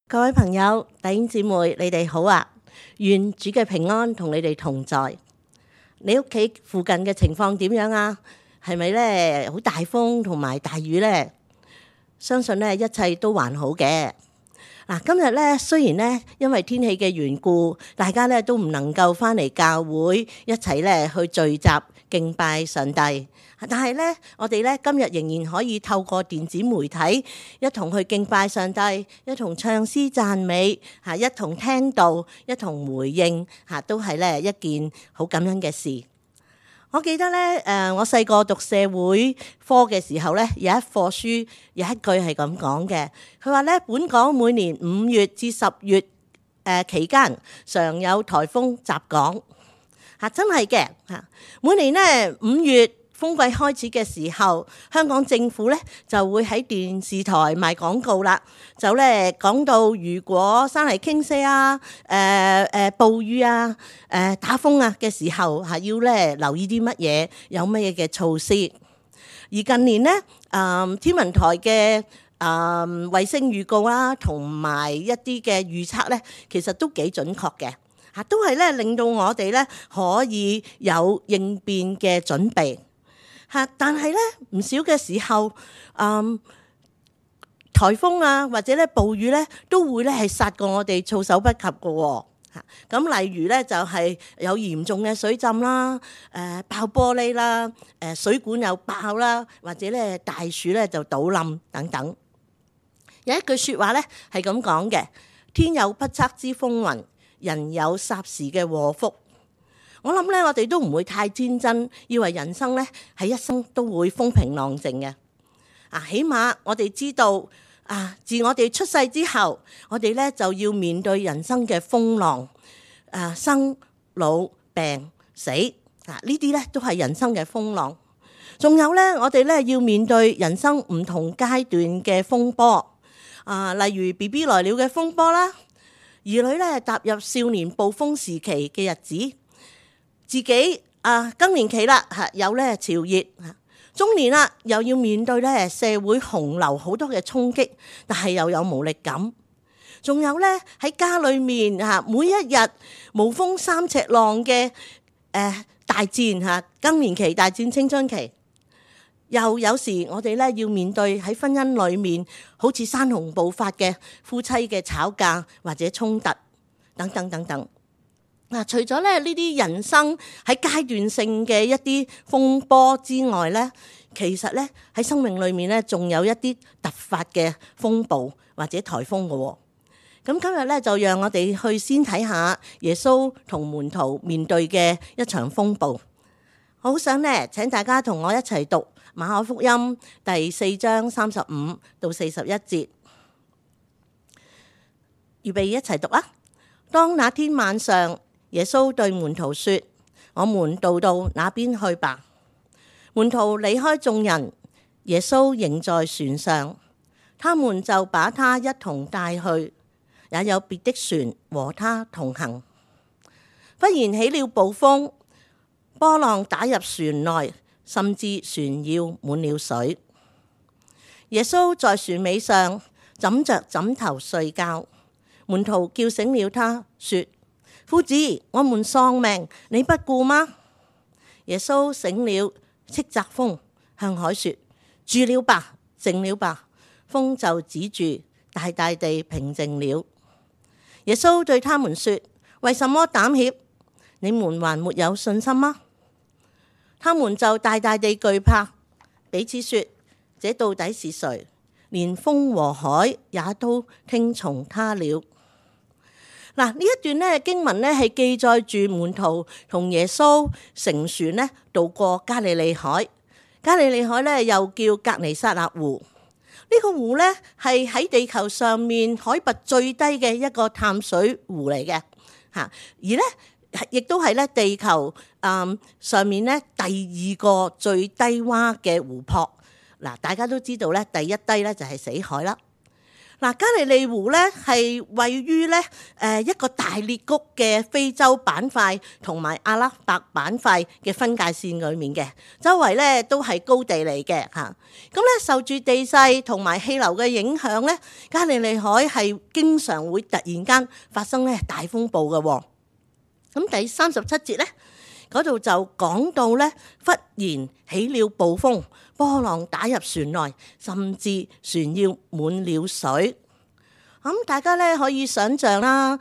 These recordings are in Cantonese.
各位朋友、弟兄姊妹，你哋好啊！願主嘅平安同你哋同在。你屋企附近嘅情況點樣啊？係咪咧好大風同埋大雨呢？相信咧一切都還好嘅。嗱，今日咧雖然咧因為天氣嘅緣故，大家咧都唔能夠返嚟教會一齊咧去聚集敬拜上帝，但係咧我哋咧今日仍然可以透過電子媒體一同去敬拜上帝，一同唱詩讚美，一同聽道，一同回應，都係咧一件好感恩嘅事。我記得咧，我細個讀社會科嘅時候咧，有一課書有一句係咁講嘅，佢話咧本港每年5月至10月期間常有颱風襲港，真係嘅嚇。每年咧5月風季開始嘅時候，香港政府咧就會喺電視台賣廣告啦，就咧講到如果山泥傾瀉啊、暴雨啊、打風啊嘅時候要咧留意啲乜嘢，有乜嘢嘅措施。而近年咧，天文台嘅衛星預告啦，同埋一啲嘅預測咧，其實都幾準確嘅，都係咧令到我哋咧可以有應變嘅準備。但係咧唔少嘅時候，颱風啊或者咧暴雨咧都會咧係殺過我哋措手不及嘅喎。咁例如咧就係有嚴重嘅水浸啦、爆玻璃啦、水管又爆啦，或者咧大樹咧就倒冧等等。有一句説話咧係咁講嘅：天有不測之風雲，人有霎時嘅禍福。我諗咧，我哋都唔會太天真，以為人生咧係一生都會風平浪靜嘅。起碼我哋知道自我哋出世之後，我哋咧就要面對人生嘅風浪，生老病死呢啲咧都係人生嘅風浪。仲有咧，我哋咧要面對人生唔同階段嘅風波，例如 BB 來了嘅風波啦，兒女咧踏入少年暴風時期嘅日子。自己更年期啦，有咧潮熱，中年啦又要面對咧社會洪流好多嘅衝擊，但係又有無力感。仲有咧喺家裏面每一日無風三尺浪嘅大戰更年期大戰青春期，又有時我哋咧要面對喺婚姻裏面好似山洪暴發嘅夫妻嘅吵架或者衝突等等等等。除咗咧呢啲人生喺階段性嘅一啲風波之外咧，其實咧喺生命裏面咧仲有一啲突發嘅風暴或者颱風嘅。咁今日咧就讓我哋去先睇下耶穌同門徒面對嘅一場風暴。我好想咧請大家同我一齊讀馬可福音第4章35到41節，預備一齊讀啊！當那天晚上，耶穌對門徒說：我們渡到那邊去吧。門徒離開眾人，耶穌仍在船上，他們就把他一同帶去，也有別的船和他同行。忽然起了暴風，波浪打入船內，甚至船要滿了水。耶穌在船尾上枕着枕頭睡覺，門徒叫醒了他，說：夫子，我們喪命，你不顧嗎？耶穌醒了，斥責風，向海說：住了吧，靜了吧。風就止住，大大地平靜了。耶穌對他們說：為什麼膽怯？你們還沒有信心嗎？他們就大大地懼怕，彼此說：這到底是誰？連風和海也都聽從他了。嗱，呢一段咧經文咧係記載住門徒同耶穌乘船咧渡過加利利海。加利利海咧又叫革尼撒勒湖。呢個湖咧係喺地球上面海拔最低嘅一個淡水湖嚟嘅，而咧亦都係咧地球上面咧第2個最低洼嘅湖泊。嗱，大家都知道咧第一低咧就係死海啦。嗱，加利利湖咧係位於咧一個大裂谷嘅非洲板塊同埋阿拉伯板塊嘅分界線裏面嘅，周圍咧都係高地嚟嘅嚇。咁咧受住地勢同埋氣流嘅影響咧，加利利海係經常會突然間發生咧大風暴嘅喎。咁第37節咧嗰度就講到咧，忽然起了暴風，波浪打入船內，甚至船要滿了水。咁大家咧可以想像啦，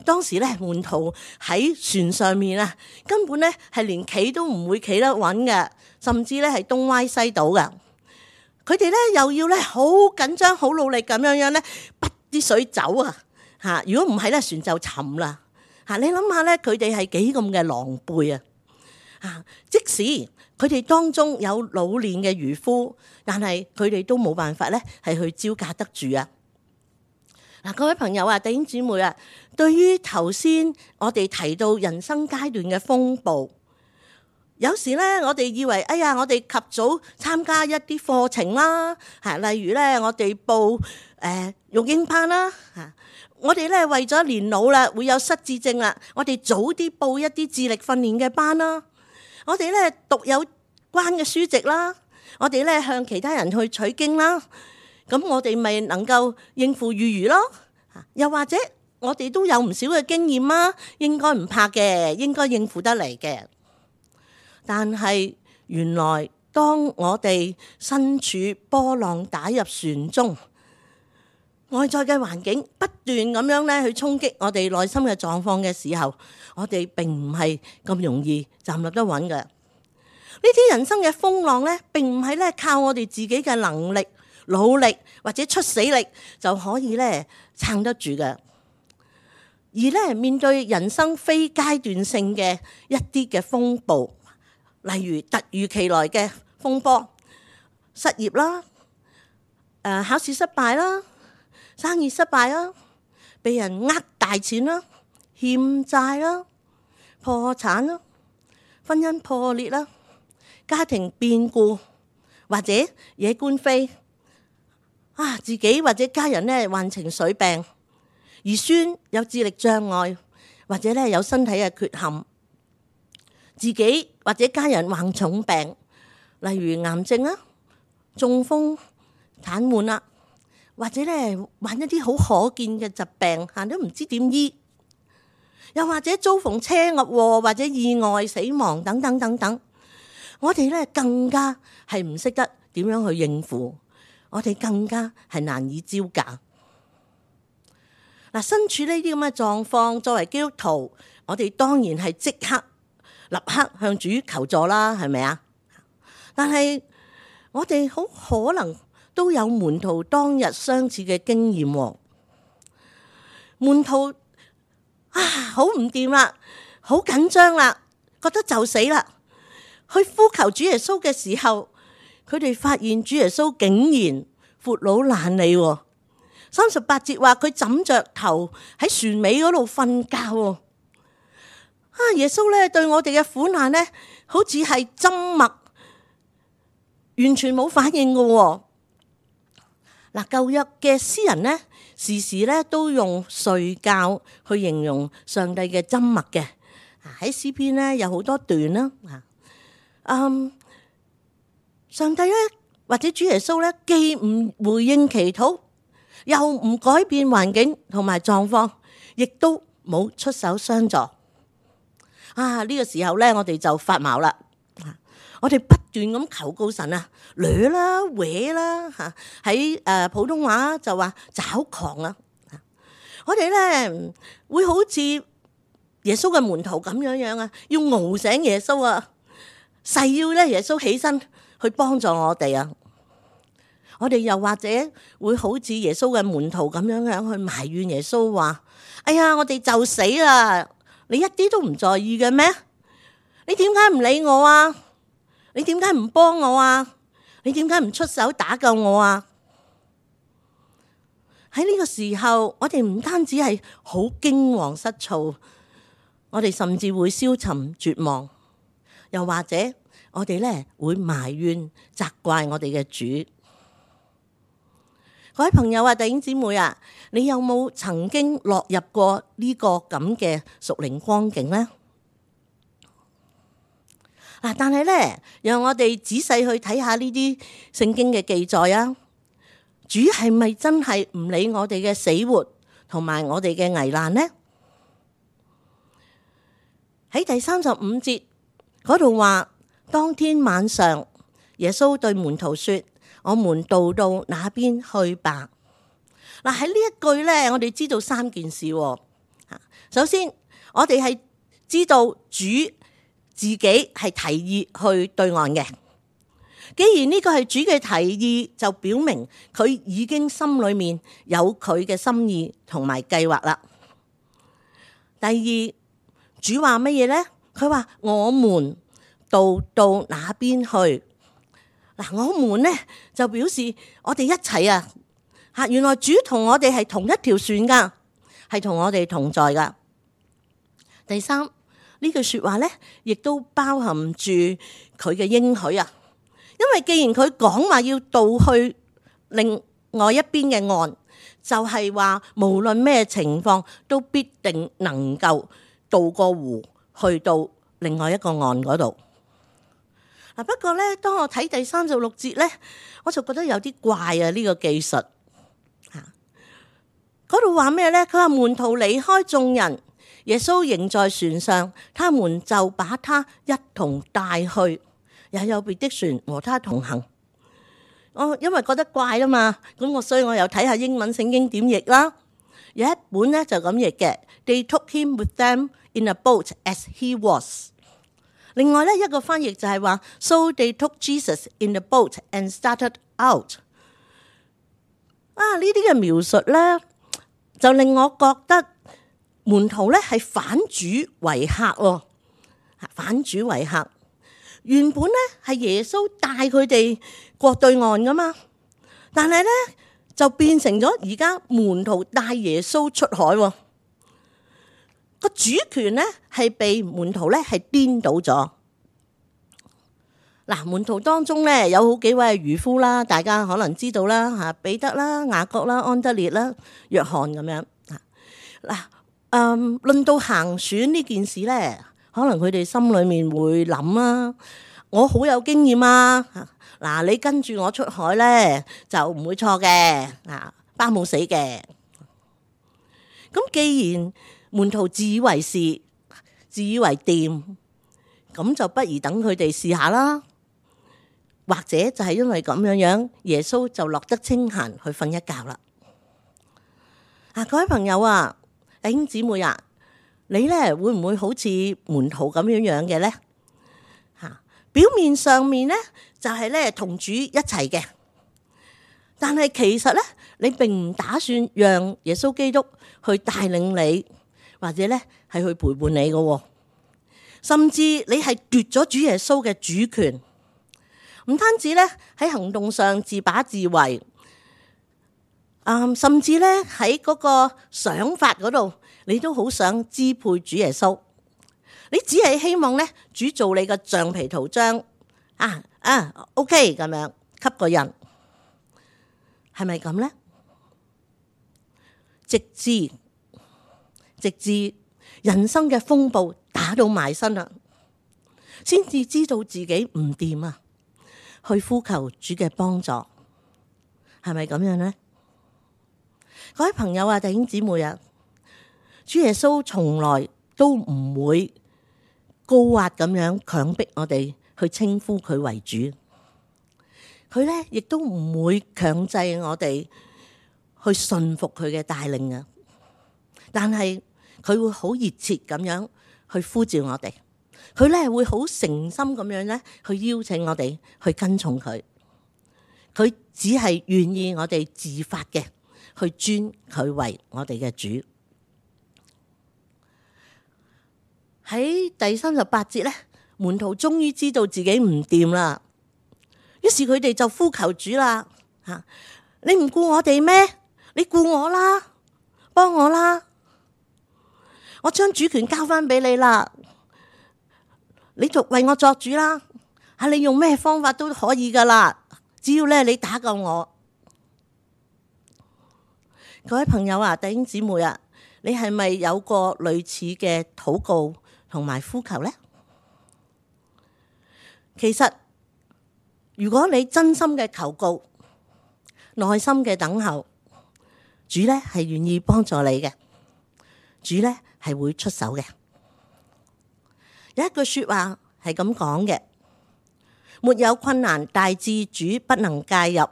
當時咧門徒喺船上面啊，根本咧係連企都唔會企得穩嘅，甚至咧係東歪西倒嘅。佢哋咧又要咧好緊張、好努力咁樣咧，逼啲水走啊！嚇，如果唔係咧，船就沉啦。嚇，你諗下咧，佢哋係幾咁嘅狼狽啊！嚇，即使佢哋當中有老練嘅漁夫，但係佢哋都冇辦法咧，係去招架得住啊！嗱，各位朋友啊，弟兄姊妹啊，對於頭先我哋提到人生階段嘅風暴，有時咧我哋以為，哎呀，我哋及早參加一啲課程啦，嚇，例如咧我哋報育嬰班啦，嚇。我哋咧為咗年老啦，會有失智症啦，我哋早啲報一啲智力訓練嘅班啦。我哋咧讀有關嘅書籍啦，我哋咧向其他人去取經啦。咁我哋咪能夠應付餘餘咯。又或者我哋都有唔少嘅經驗啦，應該唔怕嘅，應該應付得嚟嘅。但係原來當我哋身處波浪打入船中，外在嘅環境不斷咁樣咧去衝擊我哋內心嘅狀況嘅時候，我哋並唔係咁容易站立得穩嘅。呢啲人生嘅風浪咧，並唔係咧靠我哋自己嘅能力、努力或者出死力就可以咧撐得住嘅。而咧面對人生非階段性嘅一啲嘅風暴，例如突如其來嘅風波、失業啦、考試失敗啦、生意失敗啦，被人呃大錢啦，欠債啦，破產啦，婚姻破裂啦，家庭變故或者惹官非，自己或者家人咧患情緒病，兒孫有智力障礙或者咧有身體嘅缺陷，自己或者家人患重病，例如癌症啊、中風、癱瘓啦。或者咧患一啲好可見嘅疾病，都唔知點醫，又或者遭逢車禍或者意外死亡等等等等，我哋咧更加係唔識得點樣去應付，我哋更加係難以招架。嗱，身處呢啲咁嘅狀況，作為基督徒，我哋當然係即刻立刻向主求助啦，係咪啊？但係我哋好可能都有門徒當日相似嘅經驗。門徒好唔掂啦，好緊張啦，覺得就死啦，去呼求主耶穌嘅時候，佢哋發現主耶穌竟然闊佬懶理喎。38節話佢枕着頭喺船尾嗰度瞓覺喎。耶穌咧對我哋嘅苦難咧，好似係砧默，完全冇反應嘅喎。嗱，舊約嘅詩人咧，時時咧都用睡覺去形容上帝嘅砧默嘅。喺詩篇咧有好多段啦。上帝咧或者主耶穌咧，既唔回應祈禱，又唔改變環境同埋狀況，亦都冇出手相助。呢個時候咧，我哋就發毛啦。我哋不斷咁求告神啊，掠啦、搲啦，喺普通話就話抓狂啊！我哋咧會好似耶穌嘅門徒咁樣啊，要熬醒耶穌啊，誓要咧耶穌起身去幫助我哋啊！我哋又或者會好似耶穌嘅門徒咁樣去埋怨耶穌話：哎呀，我哋就死啦！你一啲都唔在意嘅咩？你點解唔理我啊？你點解唔幫我啊？你點解唔出手打救我啊？喺呢個時候，我哋唔單止係好驚惶失措，我哋甚至會消沉絕望，又或者我哋咧會埋怨責怪我哋嘅主。各位朋友啊，弟兄姊妹啊，你有冇曾經落入過呢個咁嘅屬靈光景呢？嗱，但係咧，讓我哋仔細去睇下呢啲聖經嘅記載啊。主係咪真係唔理我哋嘅死活同埋我哋嘅危難呢？喺第35節嗰度話，當天晚上，耶穌對門徒說：我們渡到那邊去吧。嗱，喺呢一句咧，我哋知道三件事。首先，我哋係知道主自己係提議去對岸嘅。既然呢個係主嘅提議，就表明佢已經心裏面有佢嘅心意同埋計劃啦。第二，主話乜嘢呢？佢話我們渡到那邊去。嗱，我們呢就表示我哋一齊啊！吓，原來主同我哋係同一條船噶，係同我哋同在噶。第三，呢句說話呢，亦都包含住佢嘅應許啊！因為既然佢講話要渡去另外一邊嘅岸，就係話無論咩情況都必定能夠渡過湖去到另外一個岸嗰度。嗱，不過咧，當我睇第36節咧，我就覺得有啲怪啊！呢個技術嗰度話咩咧？佢話門徒離開眾人，耶穌仍在船上，他們就把他一同帶去。也有別的船和他同行。我因為覺得怪啦嘛，所以我又睇下英文聖經點譯啦。有一本咧就咁譯嘅 ，They took him with them in a boat as he was。另外咧一個翻譯就係話 ，So they took Jesus in the boat and started out。呢啲嘅描述咧，就令我覺得門徒咧係反主為客喎，反主為客。原本咧係耶穌帶佢哋過對岸噶嘛，但係咧就變成咗而家門徒帶耶穌出海喎。個主權咧係被門徒咧係顛倒咗。嗱，門徒當中咧有好幾位係漁夫啦，大家可能知道啦嚇，彼得啦、雅各啦、安德烈啦、約翰咁樣。論到行船呢件事咧，可能佢哋心裏面會諗啊，我好有經驗啊，嗱，你跟住我出海咧就唔會錯嘅，包冇死嘅。咁既然門徒自以為是、自以為掂，咁就不如等佢哋試下啦。或者就係因為咁樣，耶穌就落得清閒去瞓一覺啦。各位朋友啊，弟兄姊妹啊，你咧會唔會好似門徒咁樣嘅咧？表面上面咧就係咧同主一齊嘅，但係其實咧你並唔打算讓耶穌基督去帶領你，或者咧係去陪伴你嘅，甚至你係奪咗主耶穌嘅主權，唔單止咧喺行動上自把自為，甚至咧喺嗰個想法嗰度，你都好想支配主耶穌。你只係希望咧主做你嘅橡皮圖章，OK 咁樣吸個印，係咪咁咧？直至人生嘅風暴打到埋身啦，先至知道自己唔掂啊，去呼求主嘅幫助，係咪咁樣咧？各位朋友啊，弟兄姊妹啊，主耶穌從來都唔會高壓咁樣強迫我哋去稱呼佢為主，佢咧亦都唔會強制我哋去順服佢嘅帶領啊。但係佢會好熱切咁樣去呼召我哋，佢咧會好誠心咁樣咧去邀請我哋去跟從佢。佢只係願意我哋自發嘅去尊佢為我哋嘅主。喺第38節咧，門徒終於知道自己唔掂啦，於是佢哋就呼求主啦，你唔顧我哋咩？你顧我啦，幫我啦，我將主權交翻俾你啦，你就為我作主啦，你用咩方法都可以噶啦，只要咧你打救我。各位朋友啊，弟兄姊妹啊，你係咪有過類似嘅禱告同埋呼求呢？其實如果你真心嘅求告，內心嘅等候，主呢係願意幫助你嘅，主呢係會出手嘅。有一句說話係咁講嘅：沒有困難大至主不能介入，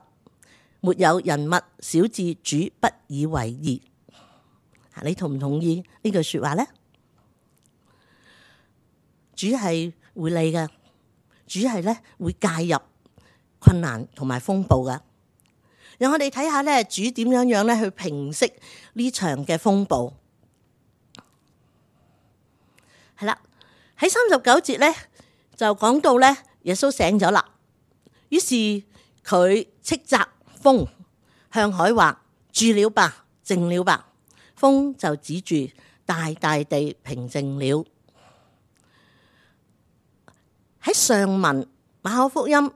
沒有人物小至主不以為意。你同唔同意呢句說話呢？主係會理嘅，主係咧會介入困難同埋風暴噶。讓我哋睇下咧，主點樣咧去平息呢場嘅風暴。係啦，喺39節咧就講到咧，耶穌醒咗啦，於是佢斥責風，向海話：住了吧，靜了吧。風就止住，大大地平靜了。喺上文馬可福音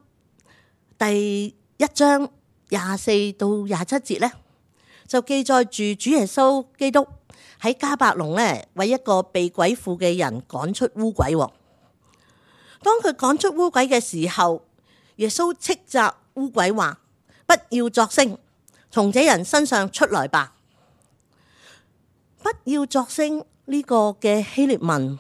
第1章24到27節咧，就記載住主耶穌基督喺迦百農咧，為一個被鬼附嘅人趕出污鬼。當佢趕出污鬼嘅時候，耶穌斥責污鬼話：不要作聲，從這人身上出來吧。不要作聲呢個嘅希臘文，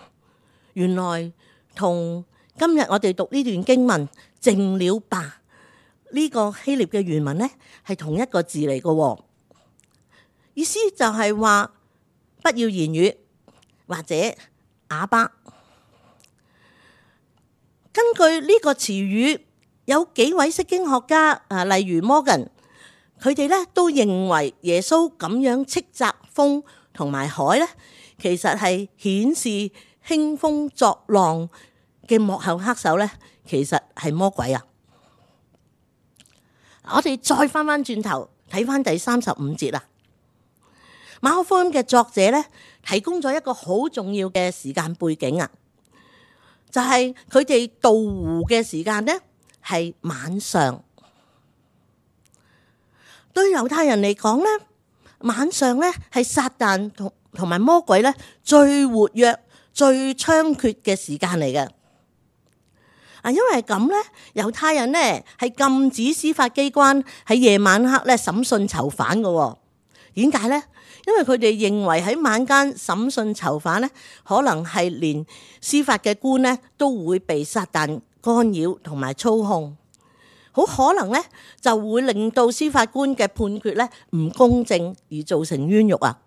原來同今日我哋讀呢段經文靜了吧呢個希臘嘅原文呢係同一個字嚟嘅，意思就係話不要言語或者啞巴。根據呢個詞語，有幾位釋經學家例如 Morgan， 佢哋咧都認為耶穌咁樣斥責風同埋海咧，其實係顯示興風作浪嘅幕後黑手咧，其實係魔鬼啊！我哋再翻轉頭睇翻第35節啦。馬可福音嘅作者咧提供咗一個好重要嘅時間背景啊，就係佢哋渡湖嘅時間咧係晚上。對猶太人嚟講咧，晚上咧係撒旦同埋魔鬼咧最活躍、最猖獗嘅時間嚟嘅。因為咁咧，猶太人咧係禁止司法機關喺夜晚黑咧審訊囚犯嘅。點解咧？因為佢哋認為喺晚間審訊囚犯咧，可能係連司法嘅官咧都會被撒旦干擾同埋操控，好可能咧就會令到司法官嘅判決咧唔公正而造成冤獄啊！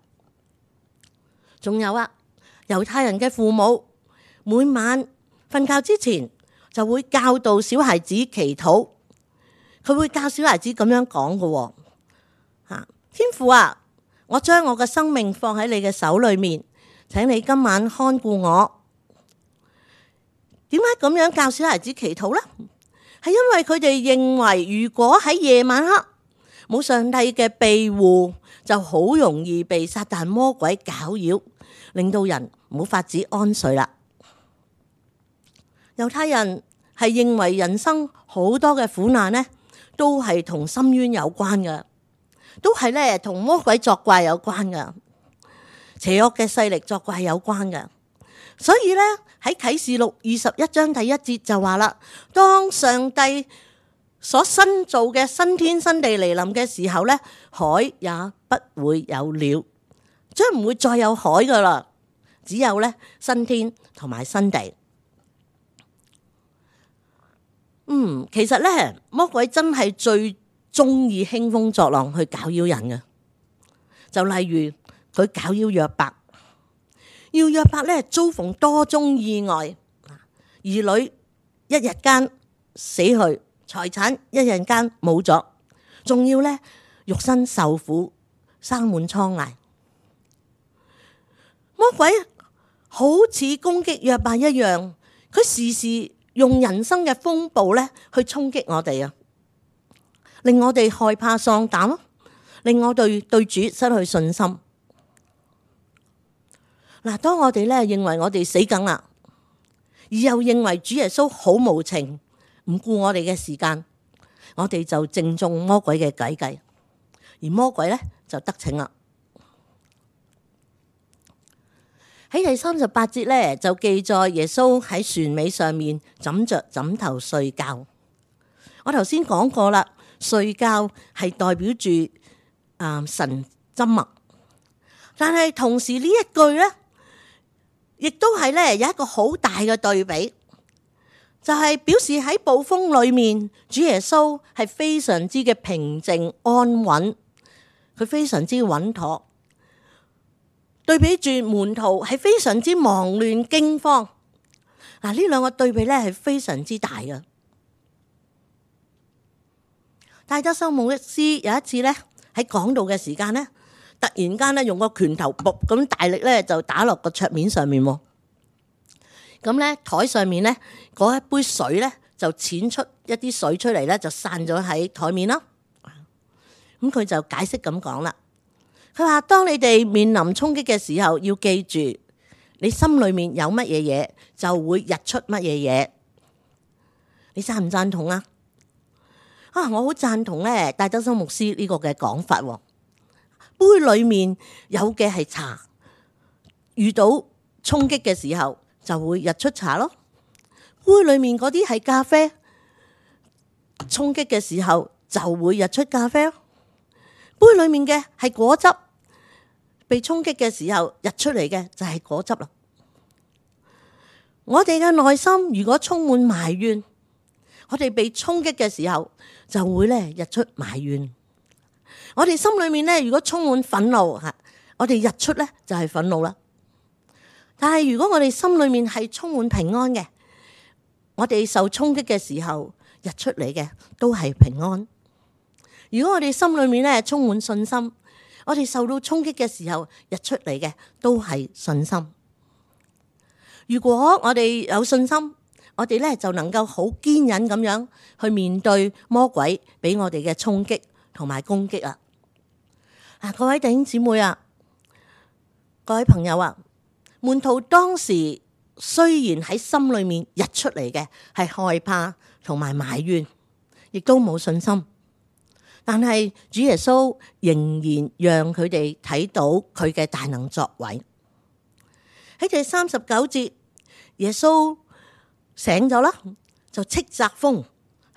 仲有啊，猶太人嘅父母每晚瞓覺之前就會教導小孩子祈禱，佢會教小孩子咁樣講嘅，天父啊，我將我嘅生命放喺你嘅手裏面，請你今晚看顧我。點解咁樣教小孩子祈禱呢？係因為佢哋認為，如果喺夜晚黑冇上帝嘅庇護，就好容易被撒旦魔鬼攪擾，令到人冇法子安睡啦。猶太人係認為人生好多嘅苦難呢，都係同深淵有關嘅，都係咧同魔鬼作怪有關嘅，邪惡嘅勢力作怪有關嘅。所以咧喺啟示錄21章第1節就話啦，當上帝所新造嘅新天新地嚟臨嘅時候咧，海也不會有了，將唔會再有海噶啦，只有咧新天同埋新地。其實咧魔鬼真係最中意興風作浪去攪擾人嘅，就例如佢攪擾約伯，要約伯咧遭逢多宗意外，兒女一日間死去，財產一日間冇咗，仲要咧肉身受苦，生滿瘡痍。魔鬼好似攻擊約伯一樣，佢時時用人生嘅風暴咧去衝擊我哋啊，令我哋害怕喪膽咯，令我哋對主失去信心。嗱，當我哋咧認為我哋死梗啦，而又認為主耶穌好無情，唔顧我哋嘅時間，我哋就正中魔鬼嘅計，而魔鬼咧就得逞啦。喺第38節咧就記載耶穌喺船尾上面枕着枕頭睡覺。我頭先講過啦，睡覺係代表住神緘默，但係同時呢一句咧，亦都係咧有一個好大嘅對比，就係表示喺暴風裏面，主耶穌係非常之嘅平靜安穩，佢非常之穩妥。對比住門徒係非常之忙亂驚慌，嗱，呢兩個對比咧係非常之大嘅。戴德生牧師有一次咧喺講道嘅時間咧，突然間咧用個拳頭噗咁大力咧就打落個桌面上面，咁咧台上面咧嗰一杯水咧就濺出一啲水出嚟咧，就散咗喺台面啦。咁佢就解釋咁講啦。佢話：當你哋面臨衝擊嘅時候，要記住，你心裏面有乜嘢嘢，就會溢出乜嘢嘢。你贊唔贊同啊？我好贊同咧，戴德生牧師呢個嘅講法。杯裏面有嘅係茶，遇到衝擊嘅時候就會溢出茶咯。杯裏面嗰啲係咖啡，衝擊嘅時候就會溢出咖啡咯。杯裏面嘅係果汁，被衝擊嘅時候溢出嚟嘅就係果汁啦。我哋嘅內心如果充滿埋怨，我哋被衝擊嘅時候就會咧溢出埋怨。我哋心裏面咧如果充滿憤怒，我哋溢出咧就係憤怒啦。但係如果我哋心裏面係充滿平安嘅，我哋受衝擊嘅時候溢出嚟嘅都係平安。如果我哋心裏面咧充滿信心，我哋受到衝擊嘅時候溢出嚟嘅都係信心。如果我哋有信心，我哋咧就能夠好堅忍咁樣去面對魔鬼俾我哋嘅衝擊同埋攻擊啊！各位弟兄姊妹啊，各位朋友啊，門徒當時雖然喺心裏面溢出嚟嘅係害怕同埋埋怨，亦都冇信心。但係主耶穌仍然讓佢哋睇到佢嘅大能作為。喺第39節，耶穌醒咗啦，就斥責風，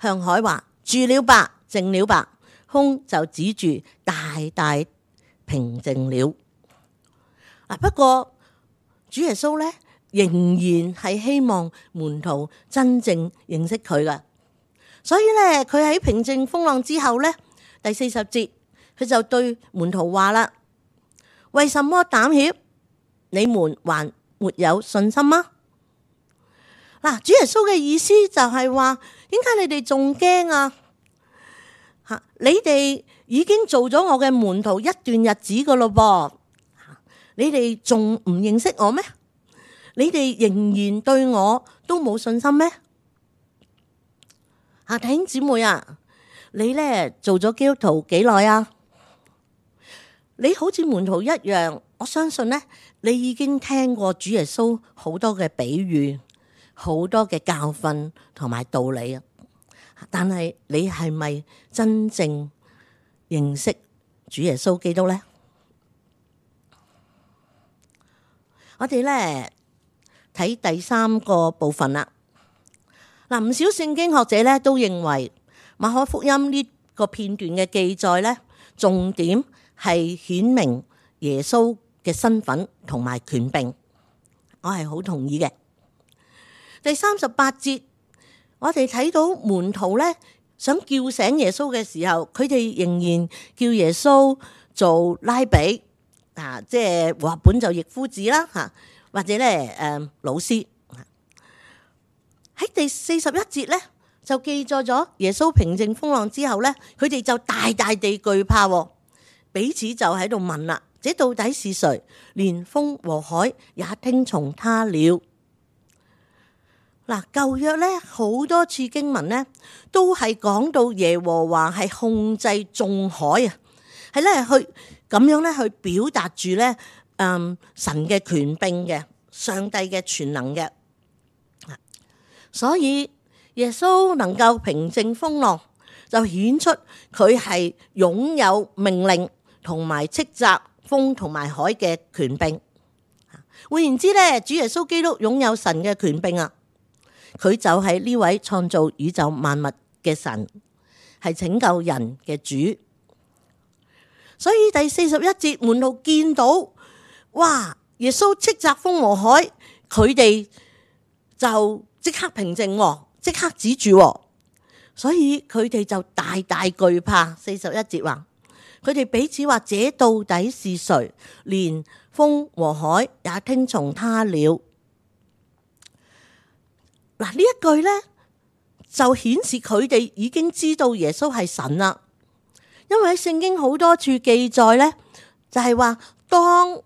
向海話：住了吧，靜了吧。風就止住，大大平靜了。不過主耶穌咧仍然係希望門徒真正認識佢噶，所以咧佢喺平靜風浪之後咧。第40節，佢就對門徒話啦：為什麼膽怯？你們還沒有信心嗎？嗱，主耶穌嘅意思就係話，點解你哋仲驚啊？你哋已經做咗我嘅門徒一段日子噶咯噃，你哋仲唔認識我咩？你哋仍然對我都冇信心咩？弟兄姊妹啊！你咧做咗基督徒幾耐啊？你好似門徒一樣，我相信咧，你已經聽過主耶穌好多嘅比喻、好多嘅教訓同埋道理啊。但係你係咪真正認識主耶穌基督咧？我哋咧睇第3個部分啦。嗱，唔少聖經學者咧都認為。馬可福音呢個片段嘅記載咧，重點係顯明耶穌嘅身份同埋權柄，我係好同意嘅。第38節，我哋睇到門徒咧想叫醒耶穌嘅時候，佢哋仍然叫耶穌做拉比，即係和合本就譯夫子啦，或者咧老師。喺第41節咧。就記載咗耶穌平靜風浪之後咧，佢哋就大大地懼怕，彼此就喺度問啦：這到底是誰？連風和海也聽從他了。嗱，舊約咧好多次經文咧，都係講到耶和華係控制眾海啊，係咧去咁樣咧去表達住咧神嘅權柄嘅，上帝嘅全能嘅，所以。耶穌能夠平靜風浪，就顯出佢係擁有命令同埋斥責風同埋海嘅權柄。換言之咧，主耶穌基督擁有神嘅權柄啊！佢就係呢位創造宇宙萬物嘅神，係拯救人嘅主。所以第41節，門徒見到，哇！耶穌斥責風和海，佢哋就即刻平靜，即刻止住，所以佢哋就大大懼怕。41節話，佢哋彼此話：這到底是誰？連風和海也聽從他了。嗱，呢一句呢，就顯示佢哋已經知道耶穌係神啦。因為喺聖經好多處記載呢，就係話當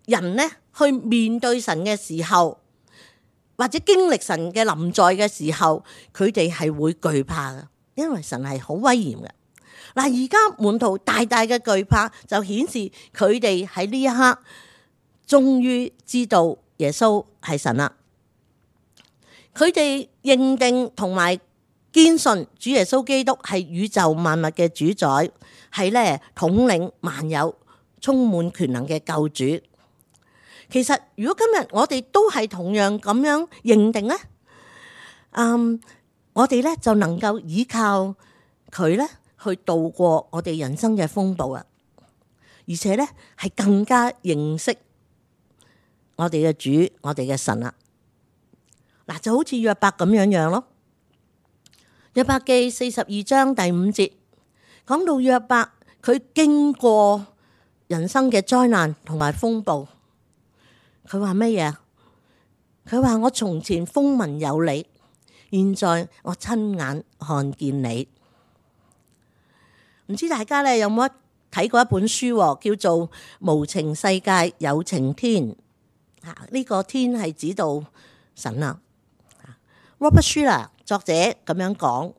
人呢去面對神嘅時候，或者經歷神嘅臨在嘅時候，佢哋係會懼怕嘅，因為神係好威嚴嘅。嗱，而家門徒大大嘅懼怕，就顯示佢哋喺呢一刻終於知道耶穌係神啦。佢哋認定同埋堅信主耶穌基督係宇宙萬物嘅主宰，係咧統領萬有、充滿權能嘅救主。其實如果今日我哋都係同樣咁樣認定咧，我哋咧就能夠依靠佢咧去度過我哋人生嘅風暴啊！而且咧係更加認識我哋嘅主、我哋嘅神啦。嗱，就好似約伯咁樣咯。約伯記42章第5節講到約伯，佢經過人生嘅災難同埋風暴，佢話乜嘢？佢話我從前風聞有你，現在我親眼看見你。唔知大家咧有冇睇過一本書，叫做《無情世界有情天》。呢個天係指到神啊。Robert Schuller 作者咁樣講，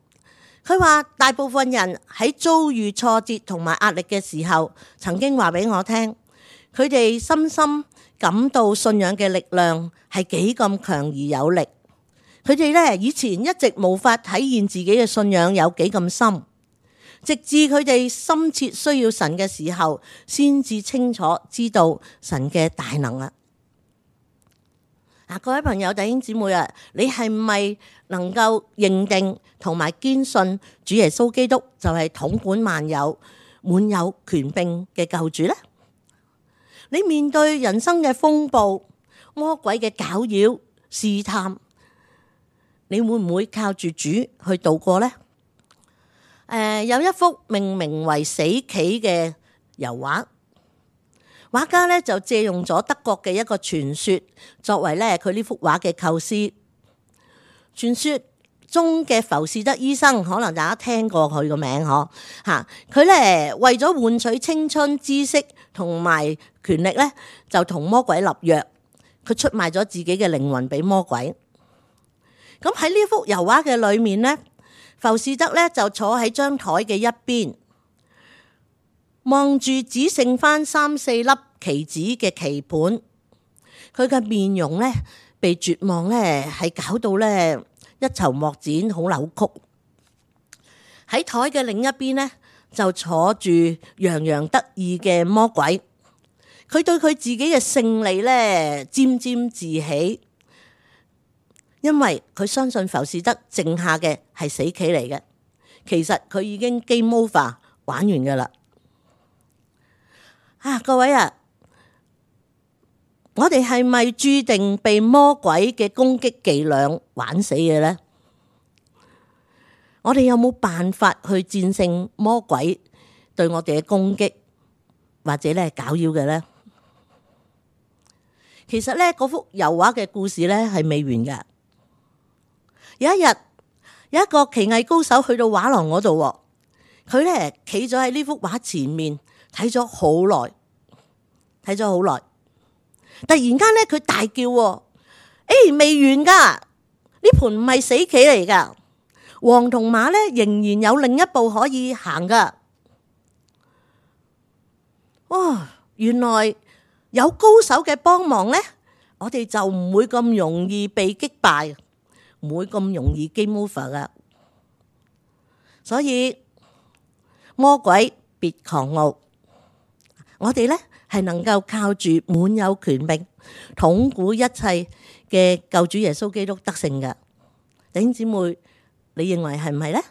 佢話大部分人喺遭遇挫折同埋壓力嘅時候，曾經話俾我聽，佢哋深深感到信仰嘅力量係幾咁強而有力。佢哋咧以前一直無法體現自己嘅信仰有幾咁深，直至佢哋深切需要神嘅時候，先至清楚知道神嘅大能啊！各位朋友、弟兄姊妹啊，你係咪能夠認定同埋堅信主耶穌基督就係統管萬有、滿有權柄嘅救主呢？你面對人生嘅風暴、魔鬼嘅攪擾、試探，你會唔會靠住主去度過呢？有一幅命名為《死棋》嘅油畫。畫家咧就借用咗德國嘅一個傳說，作為咧佢呢幅畫嘅構思。傳說中嘅浮士德醫生，可能大家聽過佢個名嗬吓。佢咧為咗換取青春、知識同埋權力咧，就同魔鬼立約。佢出賣咗自己嘅靈魂俾魔鬼。咁喺呢幅油畫嘅裏面咧，浮士德咧就坐喺張台嘅一邊，望住只剩翻3、4粒棋子嘅棋盤，佢嘅面容咧被絕望咧係搞到咧一籌莫展，好扭曲。喺台嘅另一邊咧就坐住洋洋得意嘅魔鬼，佢對佢自己嘅勝利咧沾沾自喜，因為佢相信浮士德剩下嘅係死棋嚟嘅，其實佢已經 game over 玩完噶啦。各位啊，我哋係咪注定被魔鬼嘅攻擊伎倆玩死嘅呢？我哋有冇辦法去戰勝魔鬼對我哋嘅攻擊，或者咧攪擾嘅呢？其實咧，嗰幅油畫嘅故事咧係未完㗎。有一日，有一個棋藝高手去到畫廊嗰度，佢咧企咗喺呢幅畫前面。睇咗好耐，突然間咧，佢大叫：未完噶！呢盤唔係死棋嚟噶，王同馬咧仍然有另一步可以行噶。原來有高手嘅幫忙咧，我哋就唔會咁容易被擊敗，唔會咁容易 game over 噶。所以魔鬼別狂傲。我哋咧係能夠靠住滿有權柄、統管一切嘅救主耶穌基督得勝嘅。弟兄姊妹，你認為係唔係咧？